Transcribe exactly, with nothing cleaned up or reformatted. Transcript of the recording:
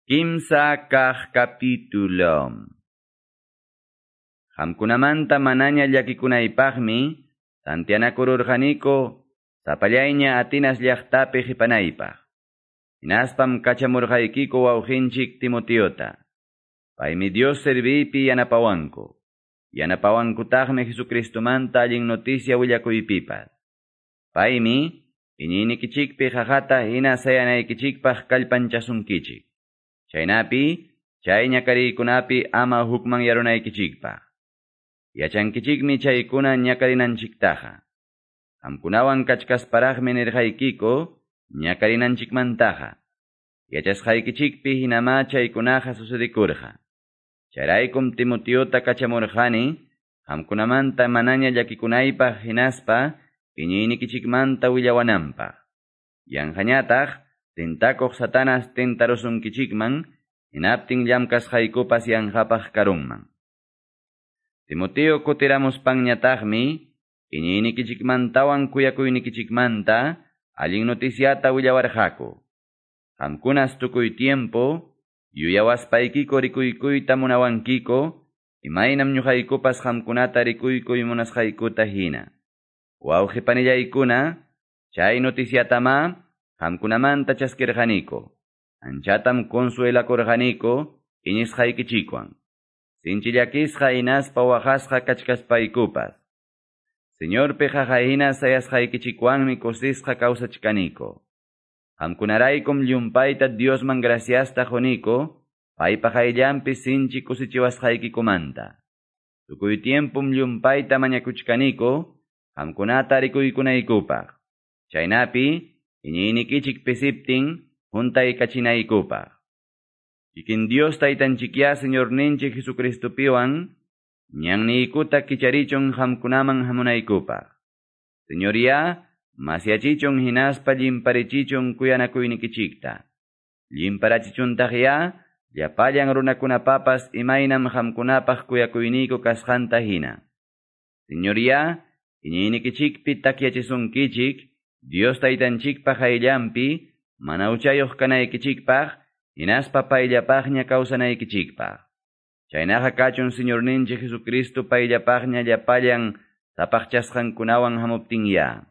Kimsa kaq capítulo. Qamkunamanta manaña llakikunaypaqmi, tantianakururqaniku, sapallayña Atinas llaqtapi qipanaypaq. Hinaspam kachamurqaykiku wawqinchik Timoteota. Paymi Dios serviypi yanapawanku. Yanapawankutaqmi Jesucristomanta allin noticia willakuypipas. Paymi iñiynikichikpi qaqata hina sayanaykichikpaq kallpanchasunkichik. Chaynapi, chay ñakariykunapi ama hukmanyarunaykichikpaq. Yachankichikmi chaykuna ñakarinanchiktaqa. Qamkunawan kachkasparaqmi nirqaykiku ñakarinanchikmantaqa. Yachasqaykichikpi hinamá chaykunaqa sucedikurqa. Chayraykum Timoteota kachamurqani, qamkunamanta manaña llakikunaypaq hinaspa iñiynikichikmanta willawananpaq. Yanqañataq tentakuq Satanas tentarusunkichikman, hinaptin llamkasqaykupas yanqapaq karunman. Timoteo kutiramuspanñataqmi, iñiynikichikmantawan kuyakuynikichikmanta allin noticiata willawarqaku. Qamkunas tukuy tiempo, yuyawaspaykiku rikuykuyta munawankiku, imaynam ñuqaykupas qamkunata rikuykuy munasqaykuta hina. Wawqi panillaykuna, chay noticiatamá qamkunamanta chaskirqaniku. Anchatam consuelakurqaniku iñisqaykichikwan. Sinchi llakisqa hinaspa waqasqa kachkaspaykupas. Señorpi qaqa hina sayasqaykichikwanmi kusisqa kawsachkaniku. Qamkunaraykum llumpayta Diosman graciasta quniku, paypa qayllanpi sinchi kusichiwasqaykikumanta. Tukuy tiempum llumpayta mañakuchkaniku, qamkunata rikuykunaykupaq. Chaynapi, iñiynikichik pisiptin, huntaykachinaykupaq. Kikin Dios taytanchikya Señorninchik Jesucristopiwan, ñanniykuta kicharichun qamkunaman hamunaykupaq. Señoría, masyachichun hinaspa llimparichichun kuyanakuynikichikta. Llimparachichuntaqya, llapallan runakunapapas imaynam qamkunapaq kuyakuyniyku kasqanta hina. Señoría, iñiynikichikpi takyachisunkichik, Dios taytanchikpa qayllanpi, mana huchayuq kanaykichikpaq, hinaspa payllapaqña kawsanaykichikpaq. Chaynaqa kachun Señorninchik Jesucristo payllapaqña llapallan sapaqchasqankunawan hamuptinya.